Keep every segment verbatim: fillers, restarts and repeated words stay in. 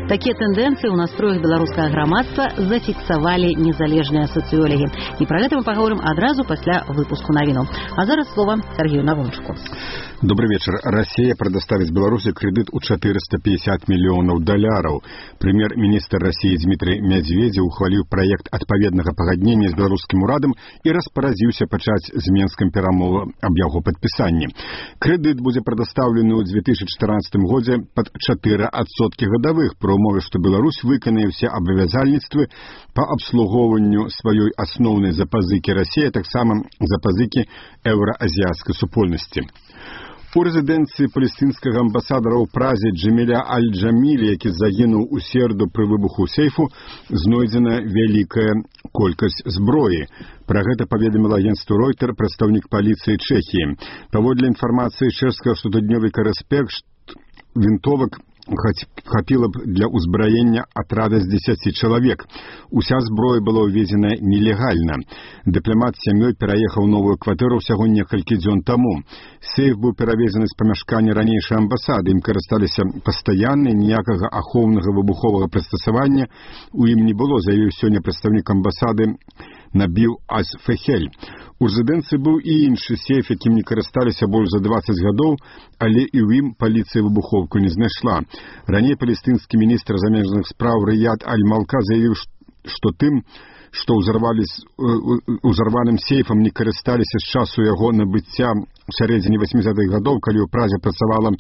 Такія тэндэнцыі ў настроях беларускага грамадства зафіксавалі незалежныя сацыёлагі. І пра гэта мы паговорым адразу пасля выпуску навінаў. А зараз слова Сергею Навончуку. Добрый вечер. Россия предоставит Беларуси кредит у четыреста пятьдесят миллионов долларов. Премьер-министр России Дмитрий Медведев ухвалил проект отповедного погоднения с белорусским урадом и распаразился почать с Минским перамовам об его подписании. Кредит будет предоставлен в две тысячи четырнадцатом году под четыре процента годовых, при умове, что Беларусь выконает все обязательства по обслуговыванию своей основной запазыки России, так само запазыки евроазиатской супольности. У рэзідэнцыі палестынскага амбасадара ў Празе Джаміля Аль-Джамілі, які загінуў у сераду пры выбуху сейфу, знойдзена вялікая колькасць зброі. Пра гэта паведаміла агенцтву Ройтер прадстаўнік паліцыі Чэхіі. Паводле інфармацыі чэшскага штотыднёвіка «Рэспект», вінтовак хапіла б для ўзбраення атрада з дзесяці чалавек. Уся зброя была ўвезена нелегальна. Дыпламат з сям'ёй пераехаў новую кватэру ўсяго некалькі дзён таму. Сейф быў перавезены з памяшкання ранейшай амбасады. Ім карысталіся пастаянна, ніякага ахоўнага выбуховага прыстасавання у ім не было, заявіў сёння прадстаўнік амбасады Набіл Ас-Фехель. У рэзідэнцыі быў і іншы сейф, якім не карысталіся больш за дваццаць гадоў, але і ў ім паліцыя выбуховку не знайшла. Раней палестынскі міністр замежных спраў Рыяд Аль-Малка заявіў, што тым, што ўзарваным сейфам не карысталіся з часу яго набыцця у сярэдзіне васьмідзесятых гадоў, калі ў Празе працавала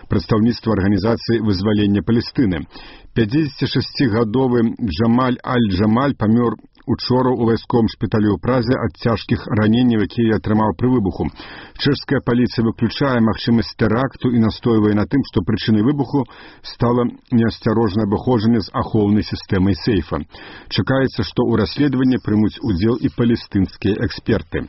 прадстаўніцтва арганізацыі вызвалення Палестыны. пяцідзесятшасцігадовы Джамаль Аль-Джамаль памёр учора у вайсковым шпіталі ў Празе ад цяжкіх раненняў, якія атрымаў пры выбуху. Чэшская паліцыя выключае магчымасць тэракту і настойвае на тым, што прычынай выбуху стала неасцярожнае абыходжанне з ахоўнай сістэмай сейфа. Чакаецца, што ў расследаванні прымуць удзел і палестынскія эксперты.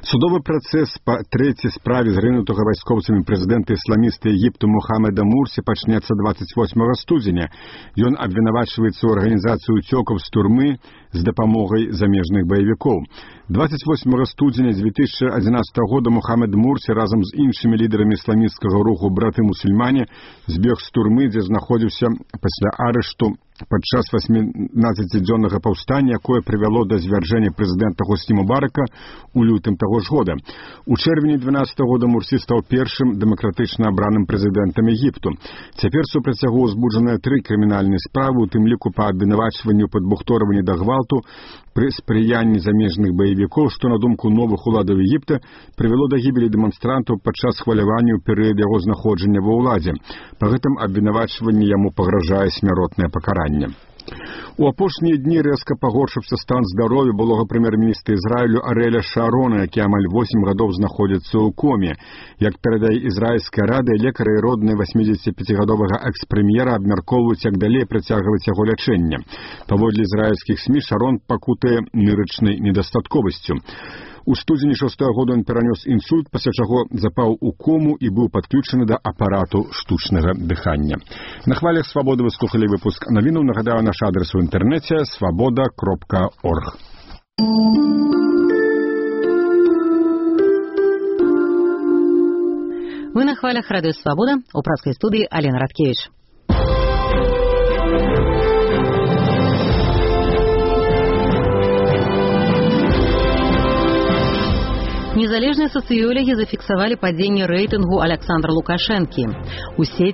Судовы працэс па трэцяй справе зрынутага вайскоўцамі прэзідэнта ісламіста Егіпту Мухаммеда Мурсі пачнецца дваццаць восьмага студзеня. Ён абвінавачваецца ў арганізацыі ўцёкаў з турмы з дапамогай замежных баевікоў. дваццаць восьмага студзеня дзве тысячы адзінаццатага года Мухаммед Мурсі разам з іншымі лідарамі ісламісцкага руху браты-мусульмане збег з турмы, дзе знаходзіўся пасля арышту падчас васьмінаццацідзённага паўстання, якое прывяло да звяржэння прэзідэнта Хосні Мубарака у лютым таго ж года. У чэрвені дванаццатага года Мурсі стаў першым дэмакратычна абраным прэзідэнтам Егіпту. Цяпер супраць яго ўзбуджаныя тры крымінальныя справы, у тым ліку па абвінавачванню падбухторвання да гвалту пры спрыянні замежных баевікоў, што, на думку новых уладаў Егіпта, прывяло да гібелі дэманстрантаў падчас хвалявання ў перыяд яго знаходжання ва ўладзе. Па гэтым абвінавачванні яму пагражае смяротнае пакаранне. У апошнія дні рэзка пагоршыўся стан здароўя былога прэм'ер-міністра Ізраілю Арэля Шарона, які амаль восем гадоў знаходзіцца ў коме. Як перадае ізраільская рада, лекары і родныя васьмідзесятіпяцігадовага экс-прэм'ера абмяркоўваюць, як далей працягваць яго лячэнне. Паводле ізраільскіх СМІ Шарон пакутае нырычнай недастатковасцю. У студзені шостага года ён перанёс інсульт, пасля чаго запаў у кому і быў падключаны да апарату штучнага дыхання. На хвалях «Свабоды» вы слухалі выпуск навінаў. Нагадаю, наш адрес у інтэрнэце свабода кропка орг. Вы на хвалях радыё «Свабода», у праскай студыі Алена Радкевіч. Незалежныя сацыёлагі зафіксавалі падзенне рэйтынгу Аляксандра Лукашэнкі. У сеці